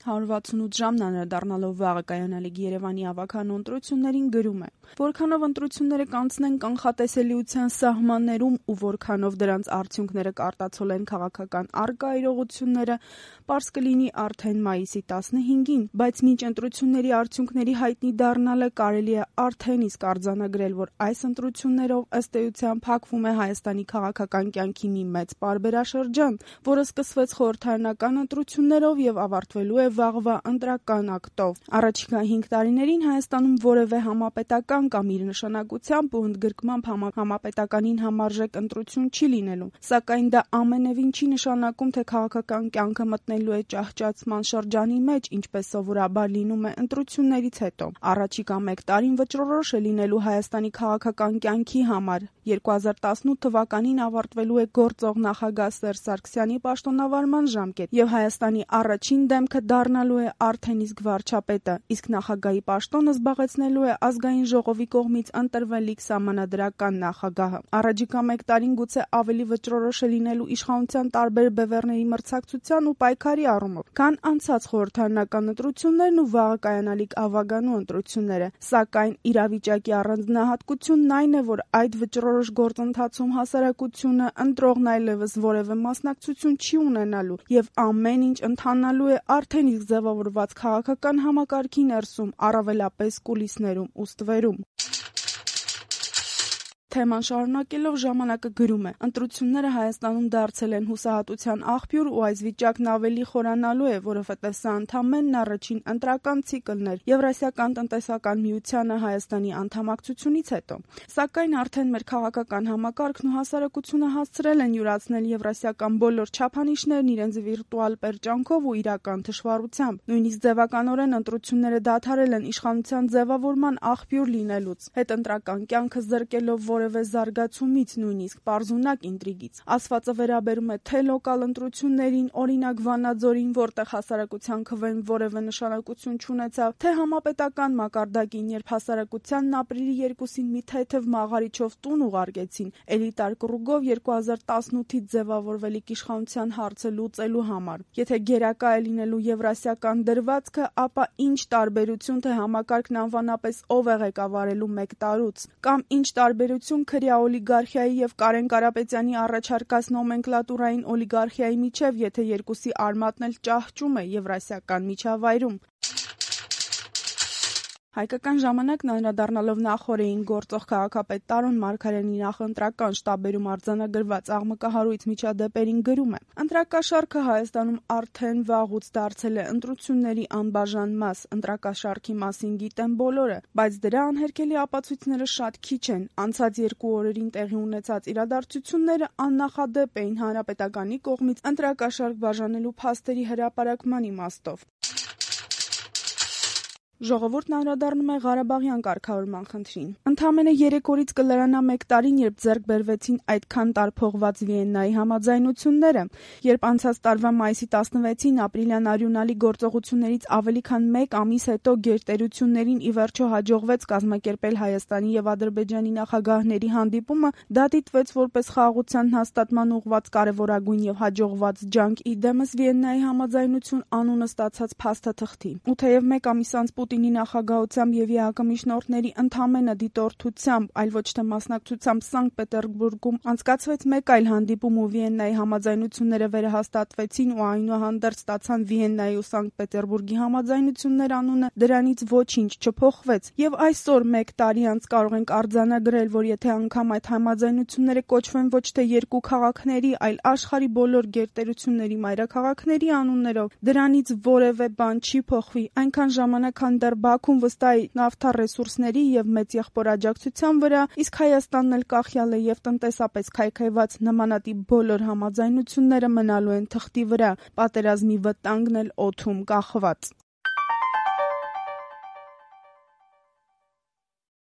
168 ժամն անդրադառնալով վաղը կայանալիք Երևանի ավագանու ընտրություններին գրում է. որքանով ընտրությունները կանցնեն կանխատեսելիության սահմաններում ու որքանով դրանց արդյունքները կարտացոլեն քաղաքական առկա իրողությունները, պարզ կլինի արդեն մայիսի 15-ին, բայց մինչ ընտրությունների արդյունքների հայտնի դառնալը կարելի է արդեն իսկ արձանագրել, որ այս ընտրություններով ըստ էության փակվում է Հայաստանի քաղաքական կյանքի մի մեծ պարբերաշրջան, որը սկսվեց խորհրդարանական ընտրություններով եւ ավարտվելու է վաղվա ընտրական ակտով։ Առաջիկա 5 տարիներին Հայաստանում որևէ համապետական կամ իր նշանակությամբ ու ընդգրկմամբ համապետականին համարժեք ընտրություն չի լինելու, սակայն դա ամենևին չի նշանակում, թե քաղաքական կյանքը մտնելու է ճահճացման շրջանի մեջ, ինչպես սովորաբար լինում է ընտրություններից հետո։ Առաջիկա 1 տարին վճռորոշ է լինելու Հայաստանի քաղաքական կյանքի համար։ 2018 թվականին ավարտվելու է գործող նախագահ Սերժ Սարգսյանի պաշտոնավարման ժամկետ եւ Հայաստանի առաջին դեմքը դառնալու է արդեն իսկ վարչապետը, իսկ նախագահի պաշտոնը զբաղեցնելու է ազգային ժողովի կողմից ընտրվելիք սահմանադրական նախագահը։ Առաջիկա 1 տարին գուցե ավելի վճռորոշ է լինելու իշխանության տարբեր բևեռների մրցակցության ու պայքարի առումով, քան անցած խորհրդարանական ընտրություններն ու վաղը կայանալիք ավագանու ընտրությունները, սակայն իրավիճակի առանձնահատկությունն այն է, որ այդ վճռորոշ գործընթացում հասարակությունը ընտրողն այլևս որևէ մասնակցություն չի ունենալու եւ ամեն ինչ ընթանալու է արդեն իսկ ձևավորված քաղաքական համակարգի ներսում, առավելապես կուլիսներում ու ստվերում։ Թեման շարունակելով ժամանակը գրում է. ընտրությունները Հայաստանում դարձել են հուսահատության աղբյուր ու այս վիճակն ավելի խորանալու է, որովհետև սա ընդամենն առաջին ընտրական ցիկլն էր Եվրասիական տնտեսական միությանը Հայաստանի անդամակցությունից հետո։ Սակայն արդեն մեր քաղաքական համակարգն ու հասարակությունը հասցրել են յուրացնել եվրասիական բոլոր չափանիշներն իրենց վիրտուալ պերճանքով ու իրական թշվառությամբ։ Նույնիսկ ձևականորեն ընտրությունները դադարել են իշխանության ձևավորման աղբյուր լինելուց, հետընտրական կյանքը զրկելով որևէ զարգացումից, նույնիսկ պարզունակ ինտրիգից։ Ասվածը վերաբերում է թե լոկալ ընտրություններին, օրինակ Վանաձորին, որտեղ հասարակության քվեն որևէ նշանակություն չունեցավ, թե համապետական մակարդակին, երբ հասարակությանն ապրիլի 2-ին մի թեթև մաղարիչով տուն ուղարկեցին, էլիտար կռուգով 2018-ից ձևավորվելիք իշխանության հարցը լուծելու համար։ Եթե գերակա է լինելու եվրասիական դրվածքը, ապա ինչ տարբերություն, թե համակարգն անվանապես ով է ղեկավարելու 1 տարուց, կամ ինչ տարբերություն քրյա օլիգարխիայի եւ Կարեն Կարապետյանի առաջարկած նոմենկլատուրային օլիգարխիայի միջև, եթե երկուսի արմատն էլ ճահճում է եվրասիական միջավայրում։ Հայկական ժամանակն անդրադառնալով նախօրեին գործող քաղաքապետ Տարոն Մարգարյանի նախընտրական շտաբերում արձանագրված աղմկահարույց միջադեպերին գրում է. ընտրակաշառքը Հայաստանում արդեն վաղուց դարձել է ընտրությունների անբաժան մաս, ընտրակաշառքի մասին գիտեն բոլորը, բայց դրա անհերքելի ապացույցները շատ քիչ են։ Անցած 2 օրերին տեղի ունեցած իրադարձությունները աննախադեպ էին հանրապետականի կողմից ընտրակաշառք բաժանելու փաստերի հրապարակման իմաստով։ Ժողովուրդն անդրադառնում է Ղարաբաղյան կարգավորման խնդրին։ Ընդամենը 3 օրից կլրանա 1 տարին, երբ ձեռք բերվեցին այդքան տարփողված Վիեննայի համաձայնությունները, երբ անցած տարվա մայիսի 16-ին ապրիլյան արյունալի գործողություններից ավելի քան 1 ամիս հետո գերտերություններին ի վերջո հաջողվեց կազմակերպել Հայաստանի եւ Ադրբեջանի նախագահների հանդիպումը, դա դիտվեց որպես խաղաղության հաստատման ուղղված կարևորագույն եւ հաջողված ջանք, իդեմս Վիեննայի համաձայնություն անունը ստացած փաստաթղթի։ Ու թեև 1 ամիս անց Պուտինի նախագահությամբ եւ ԵԱՀԿ միջնորդների ընդամենը դիտորդությամբ, այլ ոչ թե մասնակցությամբ Սանկտ Պետերբուրգում անցկացվեց 1 այլ հանդիպում ու Վիեննայի համաձայնությունները վերահաստատվեցին ու այնուհանդերձ ստացան Վիեննայի ու Սանկտ Պետերբուրգի համաձայնություններ անունը, դրանից ոչինչ չփոխվեց։ Եվ այսօր 1 տարի անց կարող ենք արձանագրել, որ եթե անգամ այդ համաձայնությունները կոչվեն ոչ թե 2 քաղաքների, այլ աշխարհի բոլոր գերտերությունների մայրաքաղաքների անուններով, դրանից որևէ բան չի փոխվի, այնքան ժամանակ դեռ Բաքուն վստահ նավթա ռեսուրսների եւ մեծ եղբոր աջակցության վրա, իսկ Հայաստանն էլ կախյալ է եւ տնտեսապես քայքայված, նմանատիպ բոլոր համաձայնությունները մնալու են թղթի վրա, պատերազմի վտանգն էլ օդում կախված։